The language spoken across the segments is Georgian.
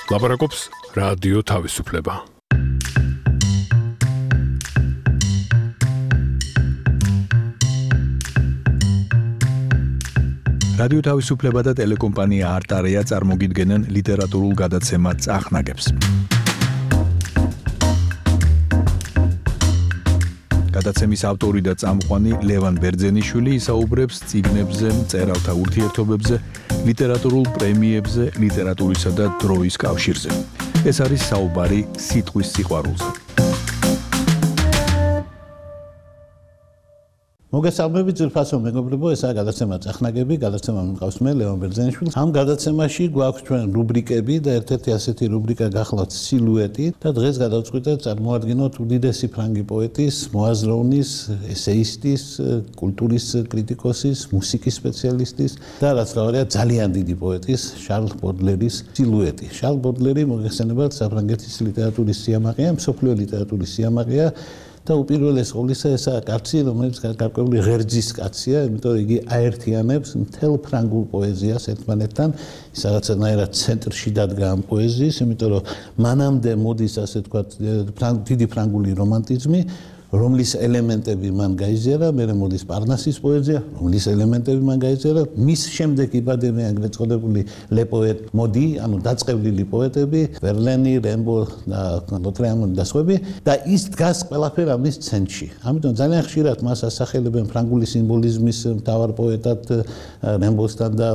ლაპარაკობს რადიო თავისუფლება. რადიო თავისუფლება და ტელეკომპანია არტარია წარმოგიდგენენ ლიტერატურულ გადაცემას წახნაგებს. გადაცემის ავტორი და წამყვანი ლევან ბერძენიშვილი ისაუბრებს წიგნებზე, მწერალთა ურთიერთობებზე, ლიტერატურულ პრემიებზე, ლიტერატურისა და დროის კავშირზე. ეს არის საუბარი სიტყვის სიყვარულზე. მოგესალმებით ძვირფასო მეგობრებო, ესაა გადაცემა წახნაგები, გადაცემა მყავს მე ლევან ბერძენიშვილი. ამ გადაცემაში გვაქვს ჩვენ რუბრიკები და ერთ-ერთი ასეთი რუბრიკა გახლავთ სილუეტი და დღეს გადავწყვიტეთ წარმოადგინოთ უდიდესი ფრანგი პოეტის, მოაზროვნის, ესეისტის, კულტურის კრიტიკოსის, მუსიკის სპეციალისტის და რაც თავია ძალიან დიდი პოეტის შარლ ბოდლერის სილუეტი. შარლ ბოდლერი მოგეხსენებათ საფრანგეთის ლიტერატურის სიამაყეა, მსოფლიო ლიტერატურის სიამაყეა. და უპირველეს ყოვლისა ესაა კაცი, რომელიც გარკვეული ღერძის კაცია, იმიტომ რომ იგი აერთიანებს მთელ ფრანგულ პოეზიას ერთმანეთთან, ის რაღაცნაირად ცენტრში დადგა ამ პოეზიის, იმიტომ რომ მანამდე მოდის ასე ვთქვათ დიდი ფრანგული რომანტიზმი, რომლის ელემენტები მან გაიზიარა, მერე მოდის პარნასის პოეზია, რომლის ელემენტები მან გაიზიარა, მის შემდეგ იბადებიან ეგრეთ წოდებული ლე პოეტ მოდი, ანუ დაწყევლილი პოეტები, ვერლენი, რემბო და ლოტრეამონი და სხვები და ის დგას ყველაფერი ამის ცენტრში. ამიტომ ძალიან ხშირად მას ასახელებენ ფრანგული სიმბოლიზმის მთავარ პოეტად რემბოსთან და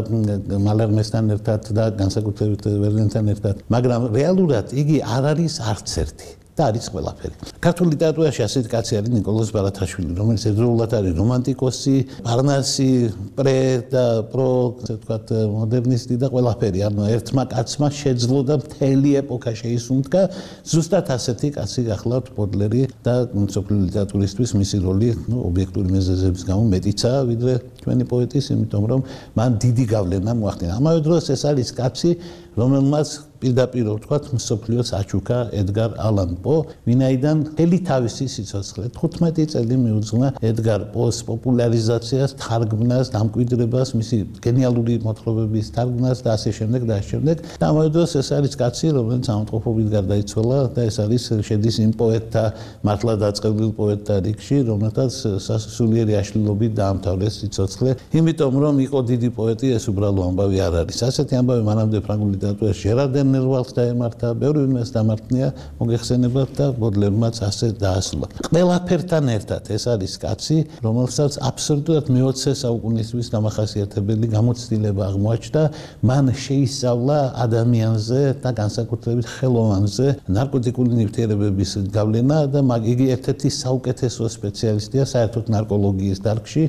მალერმესთან ერთად და განსაკუთრებით ვერლენთან ერთად, მაგრამ რეალურად იგი არ არის არც ერთი. და არის ყველაფერი. ქართულ ლიტერატურაში ასეთი კაცი არის ნიკოლოზ ბარათაშვილი, რომელიც ერთდროულად არის რომანტიკოსი, პარნასი, პრე და პრო, ასე ვთქვათ, მოდერნისტი და ყველაფერი. ანუ ერთმა კაცმა შეძლო და მთელი ეპოქა შეისუნთქა. ზუსტად ასეთი კაცი გახლავთ ბოდლერი და მსოფლიო ლიტერატურისთვის მისი როლი, ობიექტური მიზეზების გამო მეტიცაა, ვიდრე ჩვენი პოეტის, იმიტომ რომ მან დიდი გავლენა მოახდინა. ამავე დროს ეს არის კაცი, რომელმაც პირდაპირ ვთქვათ, მსოფლიოს აჩუქა ედგარ ალან პო, ვინაიდან მთელი თავისი სიცოცხლე 15 წელი მიუძღვნა ედგარ პოს პოპულარიზაციას, თარგმნას, დამკვიდრებას, მისი გენიალური მოთხრობების თარგმნას და ასე შემდეგ და ასე შემდეგ. და ამავე დროს ეს არის კაცი, რომელიც ამოტყოფობით გარდაიცვალა და ეს არის შედის იმ პოეტთა, მართლა დაწყევლილ პოეტთა რიგში, რომელთაც სასულიერი აშლილობით დაამთავრეს სიცოცხლე, იმიტომ რომ იყო დიდი პოეტი, ეს უბრალო ამბავი არ არის. ასეთი ამბავი მანამდე ფრანგულ ლიტერატურაში ჟერარდენ ნერვალს დაემართა, ბევრი ვინმეს დამარხნია, მოგეხსენებათ და ბოდლერმაც ასე დაასრულა. ყველაფერთან ერთად ეს არის კაცი, რომელსაც აბსოლუტურად მე-20 საუკუნისთვის დამახასიათებელი გამოცდილება აღმოაჩნდა, მან შეისწავლა ადამიანზე და განსაკუთრებით ხელოვანზე ნარკოტიკული ნივთიერებების გავლენა და იგი ერთ-ერთი საუკეთესო სპეციალისტია საერთოდ ნარკოლოგიის დარგში.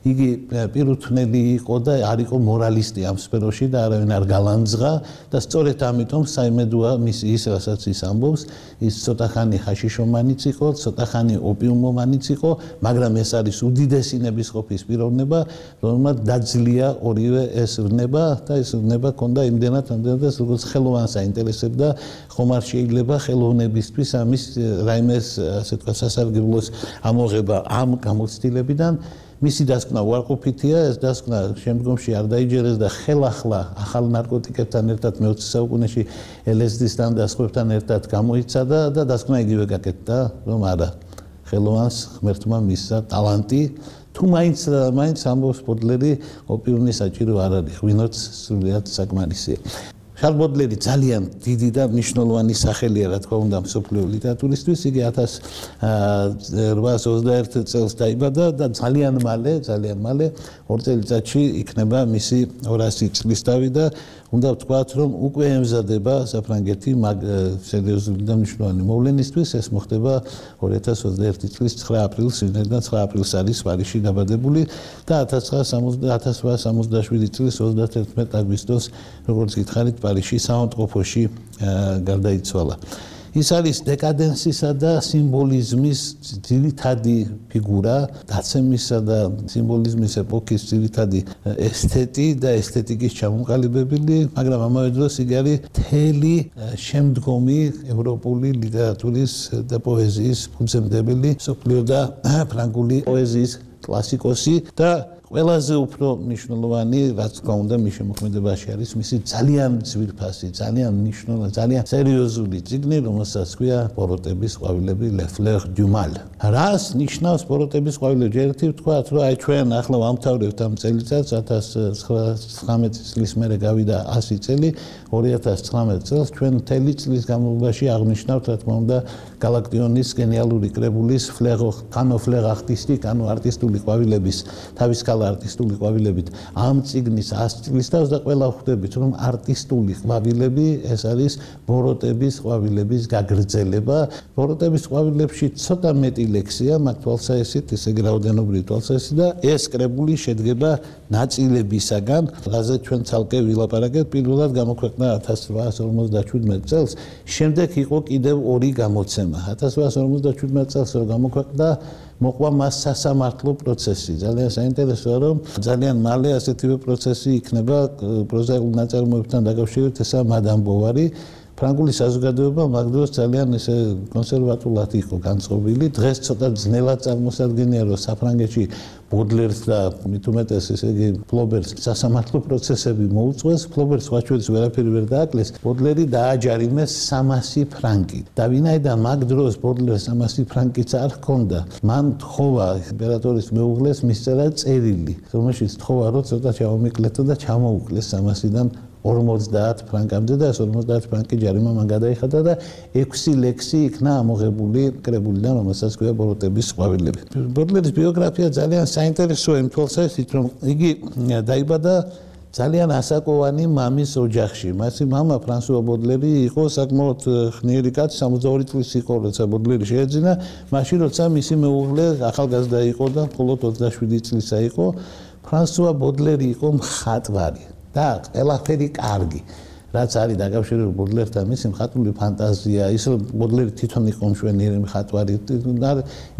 იგი პირუთვნელი იყო და არ იყო მორალისტი ამ სფეროში და არავინ არ გალანძღა და სწორედ ამიტომ საიმედოა ის რასაც ის ამბობს, ის ცოტა ხანი ხაშიშომანიც იყო, ცოტა ხანი ოპიუმომანიც იყო, მაგრამ ეს არის უდიდესი ნებისყოფის პიროვნება, რომელმაც დაძლია ორივე ეს ვრნება და ეს ვრნება ჰქონდა იმდენად, როგორც ხელოვანს აინტერესებდა, ხომ არ შეიძლება ხელოვნებისთვის ამის რაიმეს ასე ვთქვათ სასარგებლოს ამოღება ამ გამოცდილებიდან. მისი დასკვნა უარყოფითია, ეს დასკვნა შემდგომში არ დაიჯერეს და ხელახლა ახალ ნარკოტიკებთან ერთად მე-20 საუკუნეში LSD-სთან და სხვებთან ერთად გამოიცადა და დასკვნა იგივე გაკეთდა, რომ არა, ხელოვანს ღმერთმა მისცა ტალანტი, თუ მაინც ამბობს ბოდლერი, ოპიუმი საჭირო არ არის, ღვინოც სრულიად საკმარისია. შარლ ბოდლერი ძალიან დიდი და მნიშვნელოვანი სახელია, რა თქმა უნდა, მსოფლიო ლიტერატურისთვის. იგი 1821 წელს დაიბადა და ძალიან მალე 2 წელიწადში იქნება მისი 200 წლისთავი და უნდა ვთქვათ, რომ უკვე ემზადება საფრანგეთი სერიოზული და მნიშვნელოვანი მოვლენისთვის. ეს მოხდება 2021 წლის 9 აპრილს, ვინაიდან 9 აპრილს არის პარიზში დაბადებული და 1867 წლის 31 აგვისტოს, როგორც გითხარით, პარიზში საავადმყოფოში გარდაიცვალა. ის არის დეკადენსისა და სიმბოლიზმის ძირითადი ფიგურა, დაცემისა და სიმბოლიზმის ეპოქის ძირითადი ესთეტი და ესთეტიკის ჩამოყალიბებელი, მაგრამ ამავე დროს იგი არის მთელი შემდგომი ევროპული ლიტერატურის და პოეზიის ფუძემდებელი, მსოფლიო და ფრანგული პოეზიის კლასიკოსი და ყველაზე უფრო მნიშვნელოვანი რაც თქმა უნდა მის შემოქმედებაში არის მისი ძალიან ძვირფასი, ძალიან მნიშვნელოვანი, ძალიან სერიოზული წიგნი, რომელსაც ქვია ბოროტების ყვავილები Le Fleur du Mal. რას ნიშნავს ბოროტების ყვავილები? ერთი ვთქვათ, რომ აი ჩვენ ახლა ვამთავრებთ ამ წელიწადს 1919 წლის მერე გავიდა 100 წელი, 2019 წელს ჩვენ მთელი წლის განმავლობაში აღნიშნავთ, რა თქმა უნდა, გალაქტიონის გენიალური კრებულის ფლერ არტისტიკ, ანუ არტისტული ყვავილების, თავისკალა არტისტული ყვავილებით ამ წიგნის 100 წლის თავს და ყველა ხვდებით, რომ არტისტული ყვავილები ეს არის ბოროტების ყვავილების გაგრძელება. ბოროტების ყვავილებში ცოტა მეტი ლექსია, მათ თვალსაჩინო ესე იგი რაოდენობრივი თვალსაჩინო და ეს კრებული შედგება ნაწილებისაგან, რაზეც ჩვენ ცალკე ვილაპარაკეთ. პირველად გამოქვეყნა 1857 წელს, შემდეგ იყო კიდევ ორი გამოცემა. 1857 წელს რო გამოქვეყნა, მოყვა მას სასამართლო პროცესი. ძალიან საინტერესოა, რომ ძალიან მალე ასეთივე პროცესი იქნება პროზაიკულ ნაწარმოებთან დაკავშირებით, ესაა მადამ ბოვარი. ფრანგული საზოგადოება მაგ დროს ძალიან ესე კონსერვატულად იყო განწყობილი. დღეს ცოტა ძნელად წარმოსადგენია, რომ საფრანგეთში ბოდლერს და მით უმეტეს ესე იგი ფლობერს სასამართლო პროცესები მოუწყვეს. ფლობერს ხაჩულის ვერაფერი ვერ დააკლეს. ბოდლერი დააჯარიმეს 300 ფრანკი. და ვინაიდან მაგ დროს ბოდლერს 300 ფრანკიც არ ჰქონდა, მან თხოვა იმპერატორის მეუღლეს მისწერა წერილი, რომელშიც თხოვა, რომ ცოტა ჩამომიკლეთო და ჩამოუკლეს 300-დან 50 ფრანკამდე და 50 ფრანკი ჯარიმა მან გადაიხადა და 6 ლექსი იქნა ამოღებული კრებულიდან, რომელსაც ქვია ბოროტების ყვავილები. ბოდლერის ბიოგრაფია ძალიან საინტერესოა იმ თვალსაზრისით, რომ იგი დაიბადა ძალიან ასაკოვანი მამის ოჯახში. მისი მამა ფრანსუა ბოდლერი იყო საკმაოდ ხნიერი კაცი, 62 წლის იყო, როცა ბოდლერი შეეძინა, მაშინ როცა მისი მეუღლე ახალგაზრდა იყო და მხოლოდ 27 წლისა იყო, ფრანსუა ბოდლერი იყო მხატვარი. და ყველაფერი კარგი, რაც არის დაკავშირებული ბოდლერთან, მისი მხატვრული ფანტაზია, ის რომ ბოდლერი თვითონ იყო მშვენიერი მხატვარი,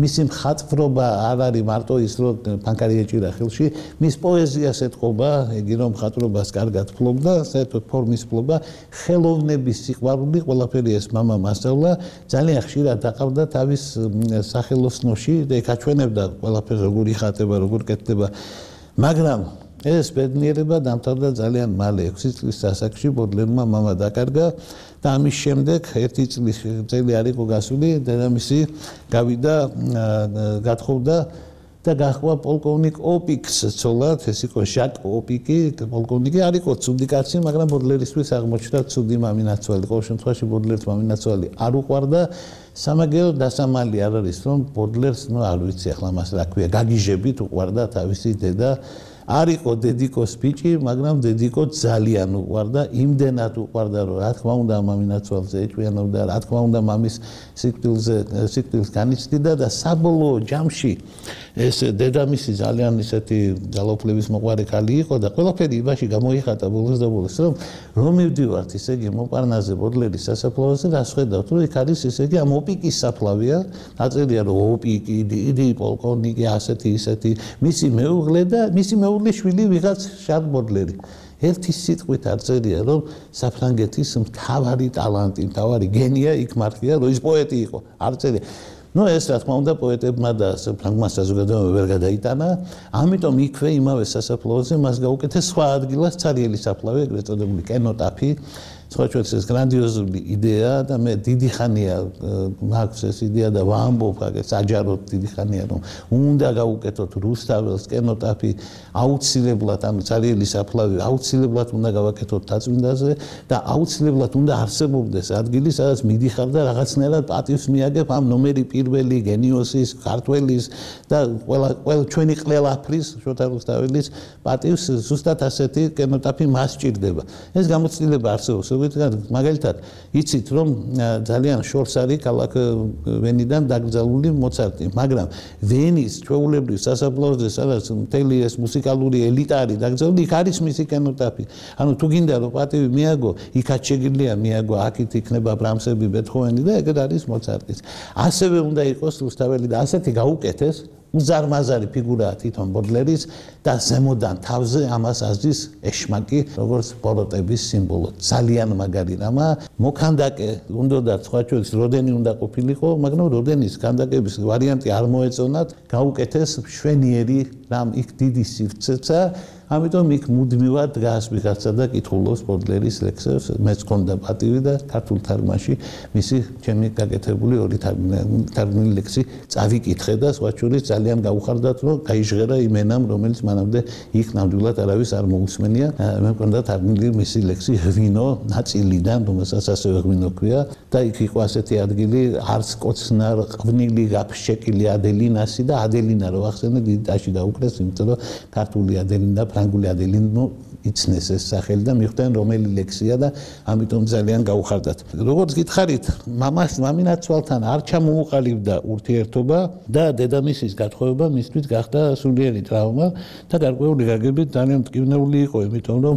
მისი მხატვრობა არ არის მარტო ის, რომ ფანქარი ეჭირა ხელში, მის პოეზიას ეთყობა, იგი რომ მხატვრობას კარგად ფლობდა, საერთოდ ფორმის ფლობა, ხელოვნების სიყვარული, ყველაფერი ეს მამამ ასწავლა, ძალიან ხშირად დაყავდა თავის სახელოსნოში და ეკაჩვენებდა ყველაფერს როგორ იხატება, როგორ კეთდება, მაგრამ ეს ბედნიერება დამთავრდა ძალიან მალე. 6 წლის ასაკში ბოდლერმა მამა დაკარგა და ამის შემდეგ 1 წელი არ იყო გასული, დედამისი გავიდა, გათხოვდა და გაჰყვა პოლკოვნიკ ოპიკს ცოლად, ეს იყო ჟაკ ოპიკი, პოლკოვნიკი არ იყო ცუდი კაცი, მაგრამ ბოდლერისთვის აღმოჩნდა ცუდი მამინაცვალი. ყოველ შემთხვევაში ბოდლერს მამინაცვალი არ უყვარდა. სამაგერო დასამალი არ არის, რომ ბოდლერს, არ ვიცი ახლა მას რა ქვია, გაგიჟებით უყვარდა თავისი დედა. არ იყო დედიკოს ბიჭი, მაგრამ დედიკო ძალიან უყვარდა, იმდენად უყვარდა, რომ რა თქმა უნდა მამინაცვალზე ეჭვიანობდა, რა თქმა უნდა მამის სიკვდილს განიცდიდა და საბოლოო ჯამში ეს დედამისი ძალიან ისეთი ძალაუფლების მოყვარე ქალი იყო და ყველაფერი იმაში გამოიხატა ბოლოს და ბოლოს, რომ მივდივართ ისე იგი მოპარნაზე ბოდლერის სასაფლაოზე და ხედავთ, რომ იქ არის ისე იგი ამ ოპიკის საფლავია, ნაწილია რომ ოპიკი, დიდი პოლკოვნიკი, ასეთი ისეთი, მისი მეუღლე და მისი მეუღლის შვილი ვიღაც შარლ ბოდლერი. ერთი სიტყვით არ წერია, რომ საფრანგეთის მთავარი ტალანტი, მთავარი გენია იქ მართლია, რომ ის პოეტი იყო. არ წერია. ეს რა თქმა უნდა პოეტებმა და ფრანგმა საზოგადოებამ ვერ გადაიტანა, ამიტომ იქვე იმავე სასაფლაოზე მას გაუკეთეს სხვა ადგილას ცარიელი საფლავი, ეგრეთ წოდებული კენოტაფი. სხვაჩვენს ეს გრანდიოზული იდეა და მე დიდი ხანია მაქვს ეს იდეა და ვამბობ საჯაროდ დიდი ხანია რომ უნდა გაუკეთოთ რუსთაველს კენოტაფი აუცილებლად ამ ცარიელი საფლავი აუცილებლად უნდა გავაკეთოთ დაწმინდაზე და აუცილებლად უნდა არსებობდეს ადგილი სადაც მიდიხარ და რაღაცნაირად პატივს მიაგებ ამ ნომერი პირველი გენიოსის ქართველის და ყველა ჩვენი ყველაფრის შოთა რუსთაველის პატივს ზუსტად ასეთი კენოტაფი მას სჭირდება ეს გამოცდილება არსებობს მაგალითად იცით რომ ძალიან შორს არის ქალაქ ვენიდან დაკრძალული მოცარტი მაგრამ ვენის ჩვეულებრივ სასაფლაოზე სადაც მთელი ეს მუსიკალური ელიტა არის დაკრძალული იქ არის მისი კენოტაფი ანუ თუ გინდა რომ პატივი მიაგო იქაც შეგიძლია მიაგო აქეთ იქნება ბრამსები ბეთჰოვენი და ეგრე არის მოცარტიც ასევე უნდა იყოს რუსთაველი და ასეთი გაუკეთეს უზარმაზარი ფიგურაა თვითონ ბოდლერის და ზემოდან თავზე ამას აზრის ეშმაკი როგორც ბოროტების სიმბოლო ძალიან მაგარი რამა მოქანდაკე უნდა სხვა ჩვენს როდენი უნდა ყოფილიყო მაგრამ როდენის ქანდაკების ვარიანტი არ მოეწონათ გაუკეთეს მშვენიერი რამ იქ დიდი სივრცეა ამიტომ იქ მუდმივად დგას ვიღაცა და კითხულობს ბოდლერის ლექსებს მეც გქონდა პატივი და ქართულ თარგმანში მისი ჩემი გაკეთებული ორი თარგმნილი ლექსი წავიკითხე და სხვა შორის ძალიან გაუხარდათ რომ გაიჟღერა იმ ენამ რომელიც მანამდე იქ ნამდვილად არავის არ მოусმენია მე მქონდა თარგმნილი მისი ლექსი ღვინო ნაწილიდან რომელსაც ასევე ღვინო ქვია და იქ იყო ასეთი ადგილი არც კოცნარ ღვინილი გაფშეკილი ადელინასი და ადელინა რო ახსენე დიდაში დაუკრეს იმიტომ რომ ქართული ადელინა ფრანგული ადელინო იცნეს ეს სახელი და მიხვდნენ რომელი ლექსია და ამიტომ ძალიან გაუხარდათ. როგორც გითხარით, მამინაცვალთან არ ჩამოუყალიბდა ურთიერთობა და დედამისის გათხოვება მისთვის გახდა სულიერი ტრავმა და გარკვეული გაგებით ძალიან მტკივნეული იყო, იმიტომ რომ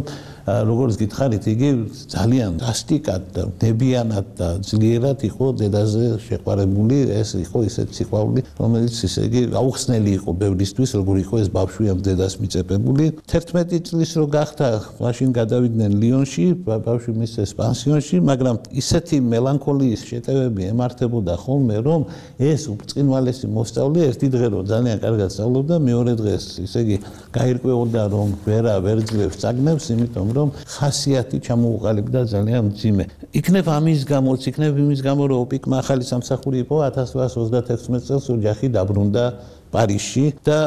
როგორც გითხარით, იგი ძალიან დასტიკად და დებიანად და ძლიერად იყო დედაზე შეყვარებული, ეს იყო ისეთი სიყვარული, რომელიც ისე იგი აუხსნელი იყო ბევრისთვის, როგორ იყო ეს ბავშვი ამ დედას მიწებებული. 11 წლის რო გახდა, მაშინ გადავიდნენ ლიონში, ბავშვი მისცეს პანსიონში, მაგრამ ისეთი მელანქოლიის შეტევები ემართებოდა ხოლმე, რომ ეს უბრწყინვალესი მოსწავლე ერთი დღე რო ძალიან კარგად სწავლობდა, მეორე დღეს ისე იგი გაირკვეოდა, რომ ვერ ძლევს წაგნებს, იმიტომ რომ ხასიათი ჩამოუყალიბდა ძალიან მძიმე. იქნებ ამის გამოც, იქნებ იმის გამო, რომ ოპიკმა ახალი სამსახური იყო 1836 წელს ოჯახი დაბრუნდა პარიზში და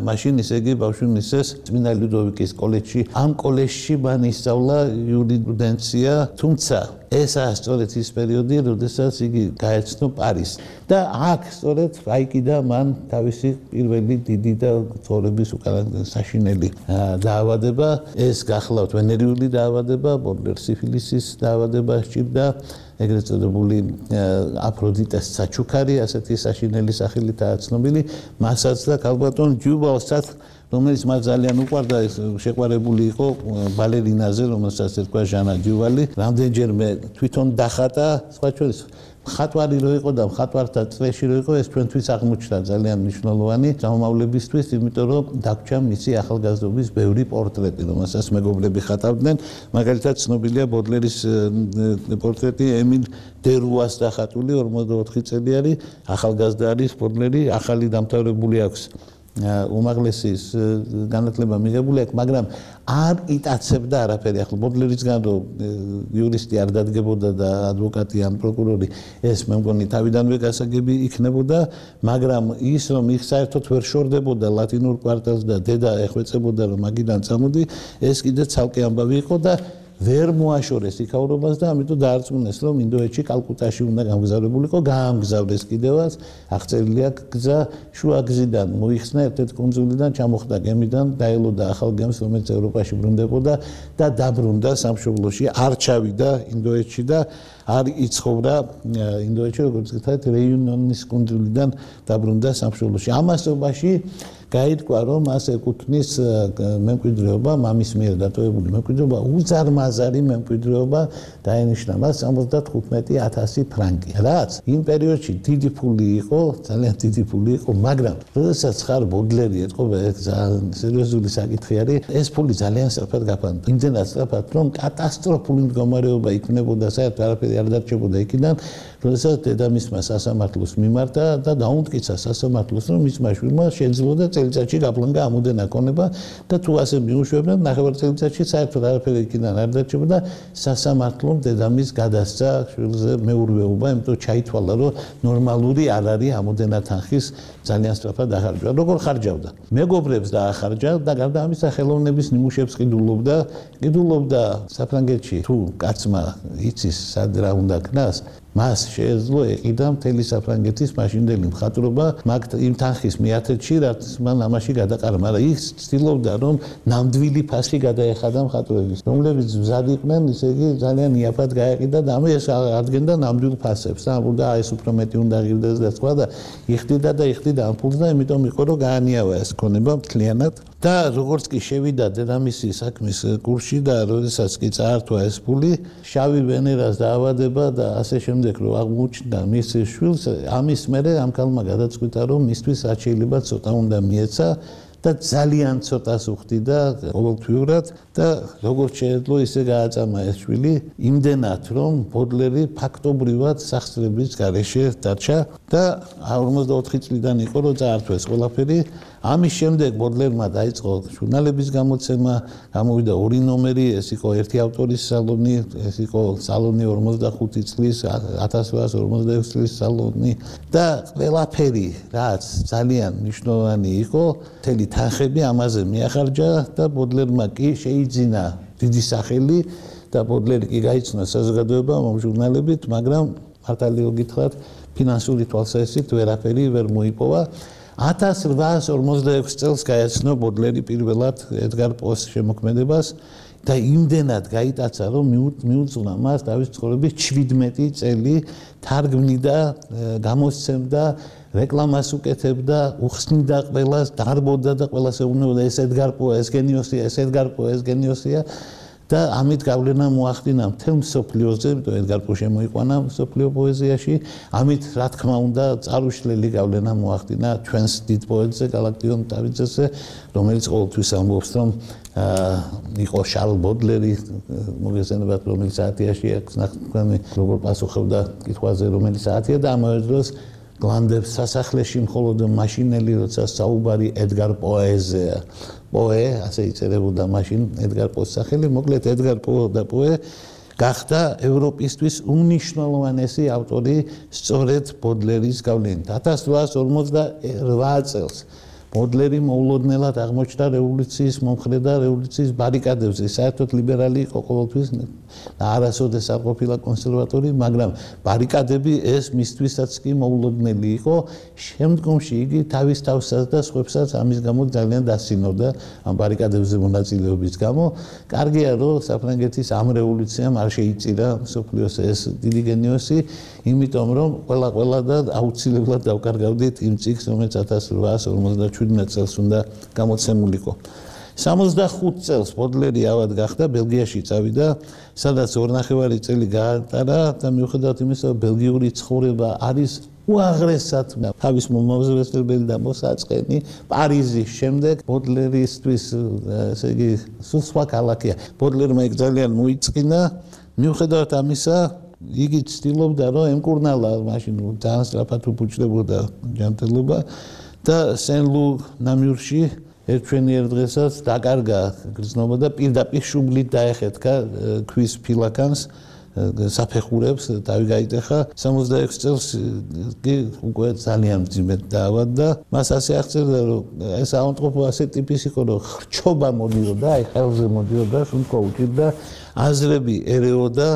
მაშინ ისე იგი ბავშვი მისცეს წმინდა ლუდოვიკის კოლეჯში. ამ კოლეჯში მან ისწავლა იურისპრუდენცია, თუმცა ესაა სწორედ ის პერიოდი, როდესაც იგი გაეცნო პარიზს. და აქ სწორედ აიკიდა მან თავისი პირველი დიდი და ცხოვრების უკანასკნელი საშინელი დაავადება. ეს გახლავთ ვენერიული დაავადება, ბოდლერ სიფილისის დაავადება სჭირდა. ეგრეთ წოდებული აფროდიტეს საჩუქარი, ასეთი საშინელი სახელითაა ცნობილი, მასაც და ქალბატონ ჯუვალსაც, რომელიც მას ძალიან უყვარდა, შეყვარებული იყო ბალერინაზე, რომელსაც ერქვა ჟანა ჯუვალი, რამდენჯერმე თვითონ დახატა, სხვა შორის მხატვარი რო იყო და მხატვართა წრეში რო იყო, ეს ჩვენთვის აღმოჩნდა ძალიან მნიშვნელოვანი გამომავლებისთვის, იმიტომ რომ დაგვრჩა მისი ახალგაზრდობის ბევრი პორტრეტი, რომელსაც მეგობრები ხატავდნენ. მაგალითად, ცნობილია ბოდლერის პორტრეტი ემილ დერუას დახატული 44 წელიანი, ახალგაზრდა არის ბოდლერი, ახალი დამთავრებული აქვს. უმაღლესის განათლება მიღებული აქვს, მაგრამ არ იტაცებდა არაფერი. ახლა ბოდლერისგან რომ იურისტი არ დადგებოდა და ადვოკატი ან პროკურორი, ეს მე მგონი თავიდანვე გასაგები იქნებოდა, მაგრამ ის რომ ის საერთოდ ვერ შორდებოდა ლათინურ კვარტალს და დედა ეხვეწებოდა რომ მაგიდან წამოდი, ეს კიდე ცალკე ამბავი იყო და ვერ მოაშორეს იქაურობას და ამიტომ დაარწმუნეს რომ ინდოეთში კალკუტაში უნდა გამგზავრებულიყო, გაამგზავრეს კიდევაც, აღწერილი აქვს გზა, შუა გზიდან მოიხსნა ერთ-ერთ კუნძულიდან, ჩამოხდა გემიდან, დაელოდა ახალ გემს, რომელიც ევროპაში ბრუნდებოდა და დაბრუნდა სამშობლოში, არ ჩავიდა ინდოეთში და არ იცხოვრა ინდოეთში, როგორც გითხარით, რეიუნიონის კუნძულიდან დაბრუნდა სამშობლოში. ამასობაში გაირკვა რომ მას ეკუთვნის მემკვიდრეობა, მამის მიერ დატოვებული მემკვიდრეობა, უზარმაზარი მემკვიდრეობა დაენიშნა მას 75,000 ფრანკი. რაც იმ პერიოდში დიდი ფული იყო, ძალიან დიდი ფული იყო, მაგრამ როდესაც ხარ ბოდლერი ეთყობა, ეს ძალიან სერიოზული საკითხი არის, ეს ფული ძალიან სწრაფად გაფანტა. იმდენად სწრაფად, რომ კატასტროფული მდგომარეობა იქნებოდა, საერთოდ არაფერი არ დარჩებოდა იქიდან, როდესაც დედამისმა სასამართლოს მიმართა და დაუმტკიცა სასამართლოს, რომ მისმა შვილმა შეძლო წელიწადში გაბლანკა ამოდენა ქონება და თუ ასე მიუშვებდნენ, ნახევარ წელიწადში საერთოდ არაფერი იქიდან არ დარჩებოდა, სასამართლომ დედამისს გადასცა შვილზე მეურვეობა, იმიტომ ჩაითვალა, რომ ნორმალური არ არის ამოდენა თანხის ძალიან სწრაფად ახარჯვა. როგორ ხარჯავდა? მეგობრებს დაახარჯა და გარდა ამისა ხელოვნების ნიმუშებს ყიდულობდა საფრანგეთში. თუ კაცმა იცის სად რა უნდა ქნას, მას შეეძლო ეყიდა მთელი საფრანგეთის მაშინდელი მხატვრობა იმ თანხის მიათეთში, რაც მან ამაში გადაყარა, მაგრამ ის ცდილობდა, რომ ნამდვილი ფასი გადაეხადა მხატვრების, რომლებიც მზად იყვნენ, ისე იგი ძალიან იაფად გაეყიდა და ეს ადგენდა ნამდვილ ფასებს. და ეს უფრო მეტი უნდა ღირდეს და სხვა და იხდიდა ამ ფულს და იმიტომ იყო, რომ გაანიავა ეს ქონება მთლიანად. და როგორც კი შევიდა დედამისი საქმის კურსში და როდესაც კი წაართვა ეს ფული, შავი ვენერას დაავადება და ასე შემდეგ რომ აღმოჩნდა მის შვილს, ამის მერე ამ ქალმა გადაწყვიტა, რომ მისთვის რაც შეიძლება ცოტა უნდა მიეცა და ძალიან ცოტას უხდიდა ყოველთვიურად და როგორც შეეძლო ისე გააწამა ეს შვილი, იმდენად რომ ბოდლერი ფაქტობრივად სახსრების გარეშე დარჩა და 44 წლიდან იყო რომ წაართვეს ყველაფერი. ამის შემდეგ ბოდლერმა დაიწყო ჟურნალების გამოცემა, გამოვიდა 2 ნომერი, ეს იყო ერთი ავტორის სალონი, ეს იყო სალონი 45 წლის, 1846 წლის სალონი და ყველაფერი, რაც ძალიან მნიშვნელოვანი იყო, მთელი თანხები ამაზე მიახარჯა და ბოდლერმა კი შეიძინა დიდი სახელი და ბოდლერი კი გაიცნო საზოგადოებამ ამ ჟურნალებით, მაგრამ მართალია გითხრათ, ფინანსური თვალსაზრისით ვერაფერი ვერ მოიპოვა. 1846 წელს გაეცნო ბოდლერი პირველად ედგარ პოს შემოქმედებას და იმდენად გაიტაცა, რომ მიუძღვნა მას თავის ცხოვრების 17 წელი თარგმნიდა, გამოსცემდა, რეკლამას უკეთებდა, უხსნიდა ყველას, დარბოდა და ყველას ეუბნებოდა ეს ედგარ პო, ეს გენიოსია, ეს ედგარ პო, ეს გენიოსია. და ამით გავლენა მოახდინა მთელ მსოფლიოზე, იმიტომ ედგარ პო შემოიყვანა მსოფლიო პოეზიაში, ამით რა თქმა უნდა წარუშლელი გავლენა მოახდინა ჩვენს დიდ პოეტზე გალაქტიონ დავიძეზე, რომელიც ყოველთვის ამბობს, რომ იყო შარლ ბოდლერი, მოგესწრებათ, რომელიც საათიაში აქვს ნახტომი, როგორ პასუხობდა კითხვაზე, რომელი საათია და ამავე დროს გლანდებს სასახლეში მხოლოდ მაშინელი, როცა საუბარი ედგარ პოეზია. პოე, ასე იწერებოდა მაშინ ედგარ პოს სახელი, მოკლედ ედგარ პო და პოე გახდა ევროპისთვის უმნიშვნელოვანესი ავტორი სწორედ ბოდლერის გავლენით. 1848 წელს ბოდლერი მოულოდნელად აღმოჩნდა რევოლუციის მომხრე და რევოლუციის ბარიკადებზე. საერთოდ ლიბერალი იყო ყოველთვის და არასოდეს არ ყოფილა კონსერვატორი, მაგრამ ბარიკადები ეს მისთვისაც კი მოულოდნელი იყო. შემდგომში იგი თავის თავსაც და სხვებსაც ამის გამო ძალიან დასინოდა ამ ბარიკადებზე მონაწილეობის გამო. კარგია, რომ საფრანგეთის ამ რევოლუციამ არ შეიწირა მსოფლიოს ეს დიდი გენიოსი, იმიტომ რომ ყველა და აუცილებლად დავკარგავდით იმ წიგნს, რომელიც 1857 წელს უნდა გამოცემულიყო. 65 წელს ბოდლერი ავად გახდა, ბელგიაში წავიდა, სადაც 2.5 წელი გაატარა და მიუხედავად იმისა, რომ ბელგიური ცხოვრება არის უაღრესად თავის მომავზრებელი და მოსაწყენი, პარიზის შემდეგ ბოდლერისთვის, ესე იგი, სულ სხვა ქალაქია. ბოდლერმა იქ ძალიან მოიწყინა, მიუხედავად ამისა, იგი ცდილობდა, რომ ემკურნალა მაშინ ძალიან სწრაფად უფუჭდებოდა ჯანმრთელობა და სენ-ლუ ნამიურში ერთვენიერ დღესაც დაკარგა გრძნობა და პირდაპირ შუბლით დაეხეთქა ქვის ფილაკანს საფეხურებს თავი გაიტეხა 66 წელს კი უკვე ძალიან მძიმედ დაავადდა მას ასე აღწერდა რომ ეს ავადმყოფო ასე ტიპის იყო რომ ხრჩობა მოდიოდა აი ხელზე მოდიოდა სულკო უჭირდა აზრები ერეოდა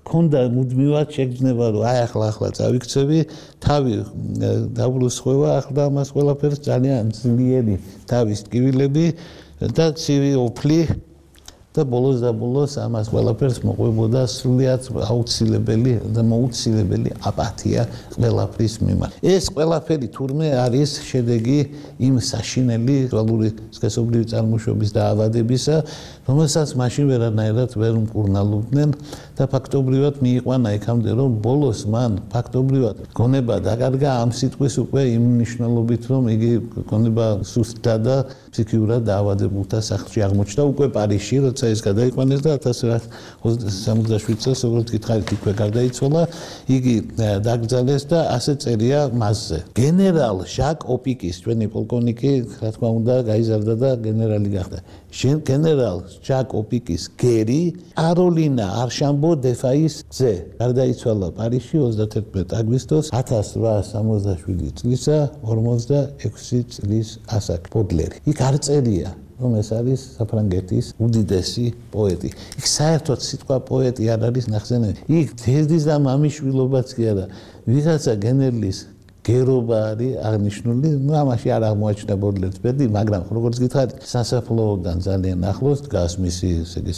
ქონდა მუდმივად შეგრძნება რომ აი ახლა წავიქცევი თავი დაბრუსხვევა ახლა მას ყველაფერს ძალიან ძლიერი თავის ტკივილები და ცივი ოფლი და ბოლოს ამას ყველაფერს მოყვებოდა სრულიად აუცილებელი და მოუცილებელი აპათია ყველაფრის მიმართ. ეს ყველაფერი თურმე არის შედეგი იმ საშინელი ვალური სქესობრივი წარმოშობის დაავადებისა, რომელსაც მაშინ ვერანაირად ვერ უმკურნალობდნენ და ფაქტობრივად მიიყვანა იქამდე, რომ ბოლოს მან ფაქტობრივად გონება დაკარგა ამ სიტყვის უკვე იმ მნიშვნელობით, რომ იგი გონება სუსტდა და ფსიქიურად დაავადებულთა სახლში აღმოჩნდა უკვე პარიზში, როცა ეს გადაიყვანეს და 1967 წელს, როგორც გითხარით, იქვე გარდაიცვალა, იგი დაკრძალეს და ასე წერია მასზე. გენერალ ჟაკ ოპიკის, ჩვენი პოლკოვნიკი, რა თქმა უნდა, გაიზარდა და გენერალი გახდა. გენერალ ჟაკ ოპიკის გერი, კაროლინა არშამბო დეფაის ძე, გარდაიცვალა პარიზში 31 აგვისტოს 1867 წლისა 46 წლის ასაკ ბოდლერი. იქ არ წერია რომ ეს არის საფრანგეთის უდიდესი პოეტი. იქ საერთოდ სიტყვა პოეტი არ არის ნახსენები. იქ დედის და მამის შვილობაც კი არა. ვიღაცა გენერლის გერობა არის აღნიშნული, ამაში არ აღმოაჩნდა ბოდლერის ბედი, მაგრამ როგორც გითხარით, სასაფლაოდან ძალიან ახლოს დგას მისი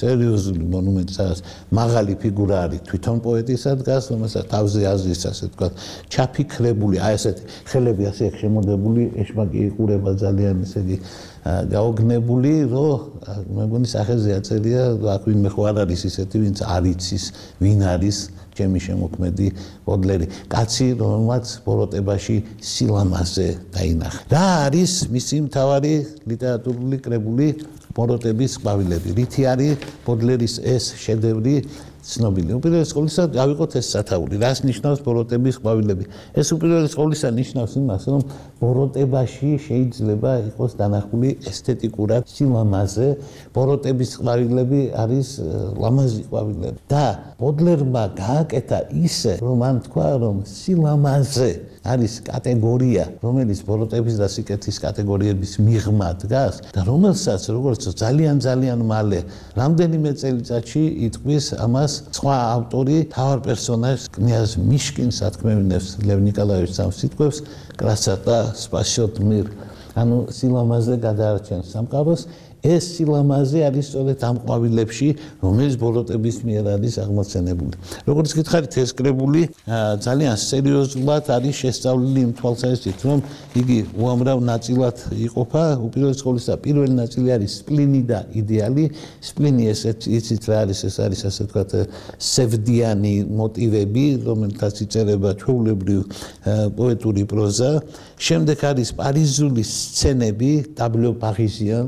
სერიოზული მონუმენტი, სადაც მაღალი ფიგურა არის თვითონ პოეტისა დგას, რომელსაც თავზე აზრის ასე ვთქვათ, ჩაფიქრებული, აი ესეთი ხელები ასე შემოდებული, ეშმაკი იყურება ძალიან ესე იგი გაოგნებული, რომ მეგონი სახეზე აწერია, აქ ვინმე ხო არ არის ისეთი, ვინც არ იცის, ვინ არის ჩემი შემოქმედი ბოდლერი. კაცი, რომელმაც ბოროტებაში სილამაზე დაინახა. რა არის მისი მთავარი ლიტერატურული კრებული ბოროტების ყვავილები? რითი არის ბოდლერის ეს შედევრი ცნობილი. უპირველეს ყოვლისა გავიყოთ ეს სათაური. რას ნიშნავს ბოროტების ყვავილები? ეს უპირველეს ყოვლისა ნიშნავს იმას, რომ ბოროტებაში შეიძლება იყოს დანახული ესთეტიკურად სილამაზე. ბოროტების ყვავილები არის ლამაზი ყვავილები. და ბოდლერმა გააკეთა ისე, რომ მან თქვა, რომ სილამაზე არის კატეგორია, რომელიც ბოროტების და სიკეთის კატეგორიების მიღმა დგას და რომელსაც როგორც ძალიან მალე რამდენიმე წელიწადში იტყვის ამას სხვა ავტორი თავარ პერსონაჟს კნიაზ მიშკინს ათქმევინებს ლევ ნიკოლაევიჩ სამსიტყვევს კრასატა სპასიოტმირ ანუ სილამაზე გადაარჩენს სამყაროს ეს სილამაზე არის სწორედ ამ ყვავილებში, რომელიც ბოროტების მიერ არის აღმოცენებული. როგორც გითხარით, ეს კრებული ძალიან სერიოზულად არის შესწავლილი იმ თვალსაზრისით, რომ იგი უამრავ ნაწილად იყოფა. უპირველეს ყოვლისა, პირველი ნაწილი არის სპლინი და იდეალი. სპლინი იცით რა არის, ეს არის ასე ვთქვათ, სევდიანი მოტივები, რომელთაც იწერება ჩვეულებრივ პოეტური პროზა. შემდეგ არის პარიზული სცენები, ტაბლო პარიზიან.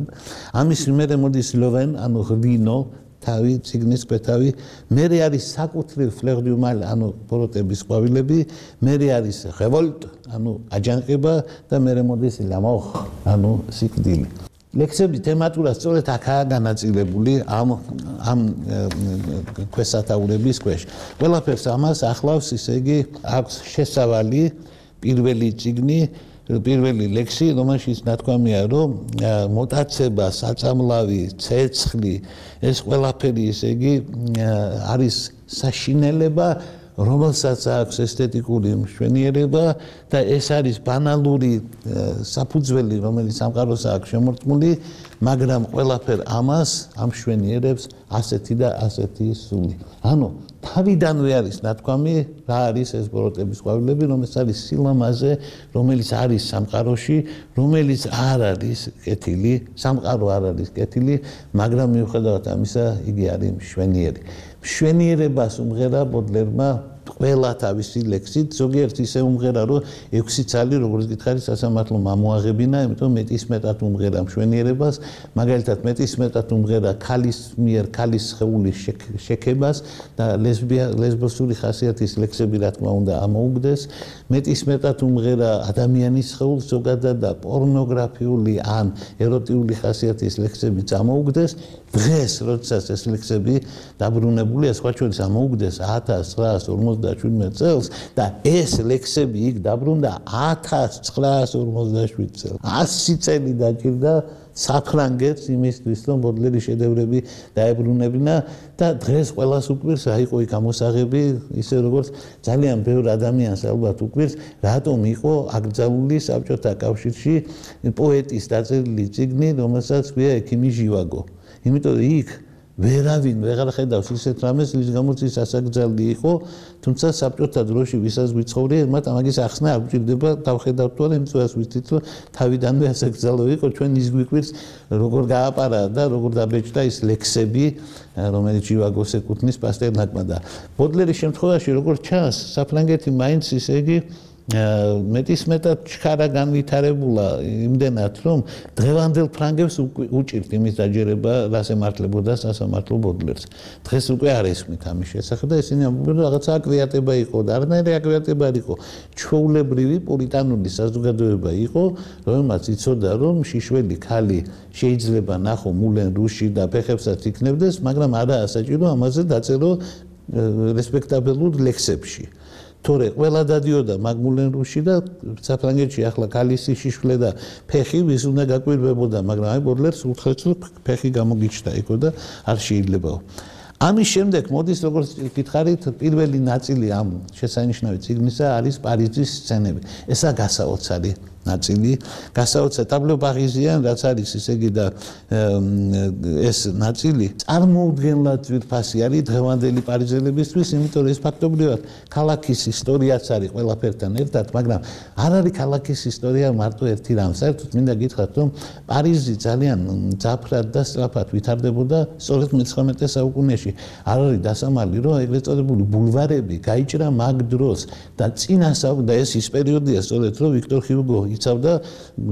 ამის მერე მოდის ლოვენ, ანუ ღვინო, თავი, ციგნის კვეთავი, მერე არის საკუთრივ ფლერ დუ მალ, ანუ ბოროტების ყვავილები, მერე არის რევოლტ, ანუ აჯანყება და მერე მოდის ლამოხ, ანუ სიკვდილი. ლექსები თემატურად სწორედ აქაა განაწილებული ამ ქვესათაურების ქვეშ. ყველაფერს ამას ახლავს, ისე იგი აქვს შესავალი პირველი წიგნი პირველი ლექსი, რომელშიც ნათქვამია, რომ მოტაცება, საწამლავი, ცეცხლი, ეს ყველაფერი, ისე იგი არის საშინელება, რომელსაც აქვს ესთეტიკური მშვენიერება და ეს არის ბანალური საფუძველი, რომელიც სამყაროს აქვს შემორტყმული, მაგრამ ყველაფერ ამას ამშვენიერებს ასეთი და ასეთი სული. ანუ თავიდანვე არის ნათქვამი, რა არის ეს ბოროტების ყვავილები, რომელიც არის სილამაზე, რომელიც არის სამყაროში, რომელიც არ არის კეთილი, სამყარო არ არის კეთილი, მაგრამ მიუხედავად ამისა, იგი არის მშვენიერი. მშვენიერებას უმღერა ბოდლერმა ყველა თავისი ლექსით, ზოგიერთ ისე უმღერა, რომ 6 ცალი, როგორც გითხარით, სასამართლო ამოაღებინა, იმიტომ მეტისმეტად უმღერა მშვენიერებას, მაგალითად მეტისმეტად უმღერა ქალის მიერ ქალის სხეულის შექებას და ლესბოსური ხასიათის ლექსები, რა თქმა უნდა, ამოუგდეს, მეტისმეტად უმღერა ადამიანის სხეულს ზოგადად და პორნოგრაფიული ან ეროტიული ხასიათის ლექსები ამოუგდეს. დღეს, როდესაც ეს ლექსები დაბრუნებულია, სხვა შორის ამოუგდეს 1957 წელს და ეს ლექსები იქ დაბრუნდა 1957 წელს. 100 წელი დაჭირდა საფრანგეთს იმისთვის, რომ ბოდლერის შედევრები დაებრუნებინა და დღეს ყველას უკვირს, რა იყო იქ ამოსაღები, ისე როგორც ძალიან ბევრ ადამიანს ალბათ უკვირს, რატომ იყო აკრძალული საბჭოთა კავშირში პოეტის დაწერილი წიგნი, რომელსაც ქვია ექიმი ჟივაგო. იმიტომ იქ ვერავინ ვეღარ ხედავს ისეთ რამეს, რის გამოც ის ასაკრძალული იყო, თუმცა საბჭოთა დროში ვისაც ვიცხოვრია, მათ ამაგის ახსნა არ გვჭირდება, დავხედავთ თუ არა, იმწვას ვიცით, რომ თავიდანვე ასაკრძალო იყო, ჩვენ ის გვიკვირს, როგორ გააპარა და როგორ დაბეჭდა ის ლექსები, რომელიც ჟივაგოს ეკუთვნის პასტერნაკმა და ბოდლერის შემთხვევაში, როგორც ჩანს, საფრანგეთი მაინც ისე იგი მეტისმეტად ჩქარა განვითარებულა იმდენად, რომ დღევანდელ ფრანგებს უჭირთ იმის დაჯერება, რას ემართლებოდა სასამართლო ბოდლერს. დღეს უკვე არ ესმით ამის შესახებ და ისინი ამბობენ, რომ რაღაცა აკვიატება იყო და არანაირი აკვიატება არ იყო. ჩვეულებრივი პოლიტანური საზოგადოება იყო, რომელმაც იცოდა, რომ შიშველი ქალი შეიძლება ნახო მულენ რუში და ფეხებსაც იქნებდეს, მაგრამ არაა საჭირო ამაზე დაწერო რესპექტაბელურ ლექსებში. თორე ყველა დადიოდა მაგმულენ რუში და საფრანგეთში ახლა ქალისი შიშველი და ფეხი ვის უნდა გაკვირვებოდა, მაგრამ აი ბოდლერს უთხრეს, რომ ფეხი გამოგიჩნდა იქო და არ შეიძლებაო. ამის შემდეგ მოდის, როგორც გითხარით, პირველი ნაწილი ამ შესანიშნავი წიგნისა არის პარიზის სცენები. ესაა გასაოცარი ნაწილი, გასაოცარი ტაბლო პარიზიან, რაც არის ისე იგი და ეს ნაწილი წარმოუდგენლად ძვირფასი არის დღევანდელი პარიზელებისთვის, იმიტომ რომ ეს ფაქტობრივად ქალაქის ისტორიაც არის ყველაფერთან ერთად, მაგრამ არ არის ქალაქის ისტორია მარტო ერთი რამ. საერთოდ მინდა გითხრათ, რომ პარიზი ძალიან ძაფრად და სწრაფად ვითარდებოდა სწორედ მე-19 საუკუნეში. არ არის დასამალი, რომ ეგრეთ წოდებული ბულვარები გაიჭრა მაგ დროს და წინასაუკუნე და ეს ის პერიოდია სწორედ, რომ ვიქტორ ჰიუგო იცავდა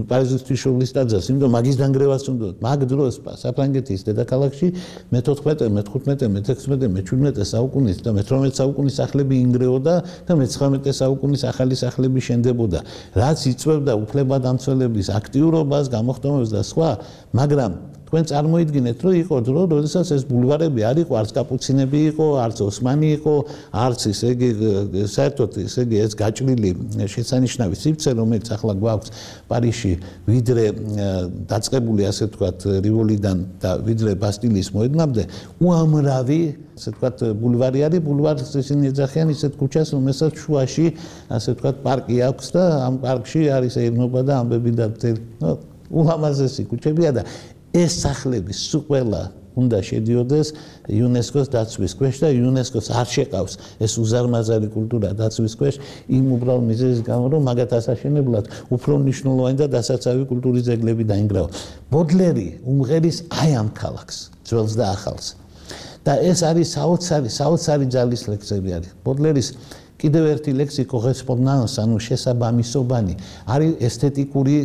პარიზის ღვთისმშობლის ტაძარს, იმიტომ მაგის დანგრევას უნდა. მაგ დროს საფრანგეთის დედაქალაქში მე-14, მე-15, მე-16, მე-17 საუკუნის და მე-18 საუკუნის სახლები ინგრეოდა და მე-19 საუკუნის ახალი სახლები შენდებოდა. რაც იწვევდა უფლებადამცველების აქტიურობას, გამოხდომებს და სხვა, მაგრამ თქვენ წარმოიდგინეთ, რომ იყო დრო, როდესაც ეს ბულვარები არ იყო, არც კაპუცინები იყო, არც ოსმანი იყო, არც ესე იგი საერთოდ ესე იგი ეს გაჭრილი შესანიშნავი სივრცე, რომელიც ახლა გვაქვს პარიზში, ვიდრე დაწყებული ასე ვთქვათ რივოლიდან და ვიდრე ბასტილიის მოედნამდე, უამრავი ასე ვთქვათ ბულვარი არის, ბულვარს ისინი ეძახიან ისეთ ქუჩას, რომელსაც შუაში ასე ვთქვათ პარკი აქვს და ამ პარკში არის ერნობა და ამბები და ულამაზესი ქუჩებია და ეს სახლები სულ ყველა უნდა შედიოდეს იუნესკოს დაცვის ქვეშ და იუნესკოს არ შეყავს ეს უზარმაზარი კულტურა დაცვის ქვეშ იმ უბრალოდ მიზეზის გამო რომ მაგათ ასაშენებლად უფრო მნიშვნელოვანი და დასაცავი კულტურის ძეგლები დაინგრავა. ბოდლერი უმღერის აი ამ ქალაქს ძველს და ახალს და ეს არის საოცარი ძალის ლექსები არის. ბოდლერის კიდევ ერთი ლექსი კორესპონდანს, ანუ შესაბამისობანი, არის ესთეტიკური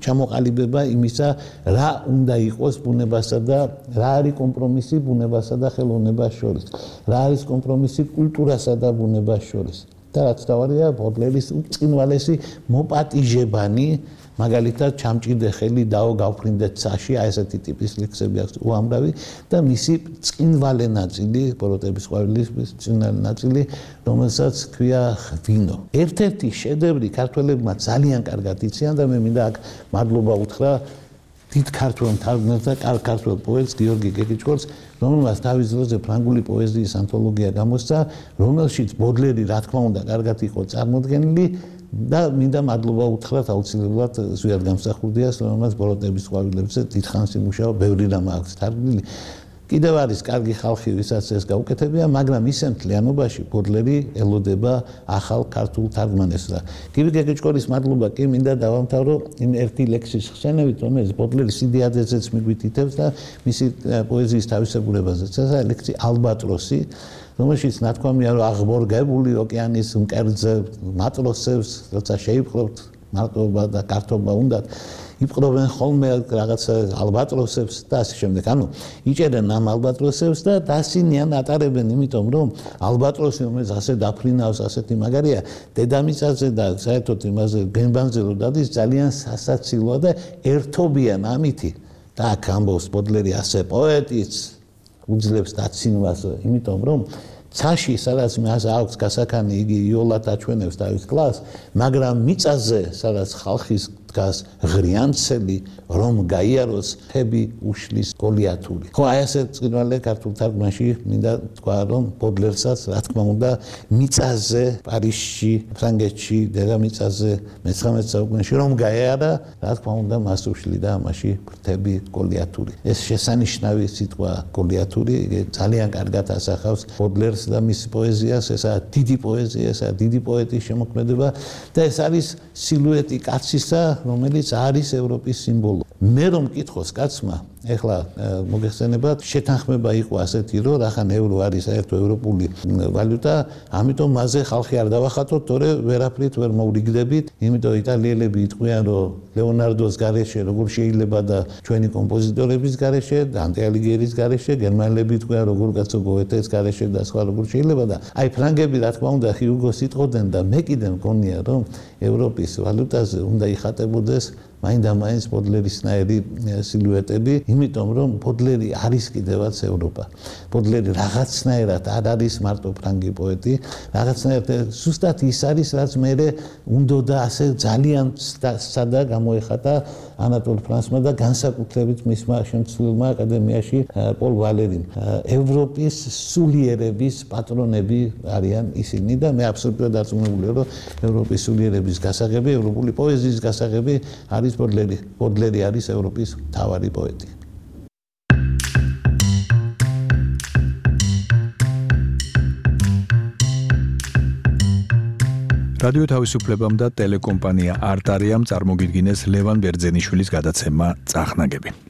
ჩამოყალიბება იმისა, რა უნდა იყოს ბუნებასა და რა არის კომპრომისი ბუნებასა და ხელოვნებას შორის. რა არის კომპრომისი კულტურასა და ბუნებას შორის. და რაც თავარია, ბოდლერის უწყინვალესი მოპატიჟებანი, მაგალითად, ჩამჭიდე ხელი დაო გავფრინდე ცაში, აი ესეთი ტიპის ლექსები აქვს უამრავი და მისი წინვალე ნაწილი, ბოროტების ყვავილის წინვალე ნაწილი, რომელსაც ქვია ღვინო. ერთ-ერთი შედევრი ქართველებმა ძალიან კარგად იციან და მე მინდა აქ მადლობა უთხრა დიდ ქართველ მთარგმნელს და ქართველ პოეტს გიორგი გეგეჭკორს, რომელმაც თავის დროზე ფრანგული პოეზიის ანთოლოგია გამოსცა, რომელშიც ბოდლერი რა თქმა უნდა კარგად იყო წარმოდგენილი და მინდა მადლობა უთხრათ აუცილებლად ზვიად გამსახურდიას, რომელმაც ბოროტების ყვავილებზე დიდხანს იმუშავა, ბევრი რამ აქვს თარგმნილი. კიდევ არის კარგი ხალხი, ვისაც ეს გაუკეთებია, მაგრამ ისე მთლიანობაში ბოდლერი ელოდება ახალ ქართულ თარგმანებს და გიორგი გეგეჭკორის მადლობა კი მინდა დავამთავრო იმ ერთი ლექსის ხსენებით, რომელიც ბოდლერის იდეაზეც მიგვითითებს და მისი პოეზიის თავისებურებაზეც. ეს არის ლექსი ალბატროსი, რომელშიც ნათქვამია, რომ აღბორგებული ოკეანის მკერდზე მატროსებს, როცა შეიპყრობთ მარტოობა და გართობა უნდათ, იპყრობენ ხოლმე რაღაცა ალბატროსებს და ასე შემდეგ. ანუ იჭერენ ამ ალბატროსებს და დასინიან ატარებენ, იმიტომ რომ ალბატროსი, რომელიც ასე დაფრინავს, ასეთი მაგარია, დედამიწაზე და საერთოდ იმაზე გენბანზე რო დადის, ძალიან სასაცილოა და ერთობიან ამითი. და აქ ამბობს ბოდლერი ასე პოეტიც უძლებს დაცინვას, იმიტომ რომ ცაში, სადაც მას აქვს გასაქანი, იგი იოლად აჩვენებს თავის კლასს, მაგრამ მიწაზე, სადაც ხალხის დგას ღრიანცელი, რომ გაიაროს ხები უშლის გოლიათური. ხო, აი ასე წინვალე ქართულ თარგმანში მინდა თქვა, რომ ბოდლერსაც, რა თქმა უნდა, მიწაზე, პარიზში, ფრანგეთში, დედამიწაზე, მე-19 საუკუნეში რომ გაიარა, რა თქმა უნდა, მას უშლიდა ამაში ფრთები გოლიათური. ეს შესანიშნავი სიტყვა გოლიათური, ძალიან კარგად ასახავს ბოდლერს და მის პოეზიას, ესაა დიდი პოეზია, ესაა დიდი პოეტის შემოქმედება და ეს არის სილუეტი კაცისა, რომელიც არის ევროპის სიმბოლო. მე რომ მკითხოს კაცმა, ეხლა მოგეხსენებათ, შეთანხმება იყო ასეთი, რომ რახან ევრო არის საერთო ევროპული ვალუტა, ამიტომ მასზე ხალხი არ დავახატოთ, თორე ვერაფრით ვერ მოვრიგდებით, იმიტომ იტალიელები იტყვიან, რომ ლეონარდოს გარეშე როგორ შეიძლება და ჩვენი კომპოზიტორების გარეშე, დანტე ალიგიერის გარეშე, გერმანელები იტყვიან, როგორ კაცო გოეთეს გარეშე და სხვა როგორ შეიძლება და აი ფრანგები რა თქმა უნდა ჰიუგოს იტყოდნენ და მე კიდე მგონია, რომ ევროპის ვალუტაზე უნდა იხატებოდეს მაინდა-მაინც ბოდლერისნაირი სილუეტები, იმიტომ რომ ბოდლერი არის კიდევაც ევროპა. ბოდლერი რაღაცნაირად არ არის მარტო ფრანგი პოეტი, რაღაცნაირად ზუსტად ის არის, რაც მე უნდოდა ასე ძალიან სადა გამოეხატა ანატოლ ფრანსმა და განსაკუთრებით მისმა შემცვლელმა აკადემიაში პოლ ვალერიმ. ევროპის სულიერების პატრონები არიან ისინი და მე აბსოლუტურად დარწმუნებულია, რომ ევროპის სულიერების გასაღები, ევროპული პოეზიის გასაღები არის ბოდლერი. ბოდლერი არის ევროპის მთავარი პოეტი. რადიო თავისუფლებამ და ტელეკომპანია არტარიამ წარმოგიდგინეს ლევან ბერძენიშვილის გადაცემა წახნაგები.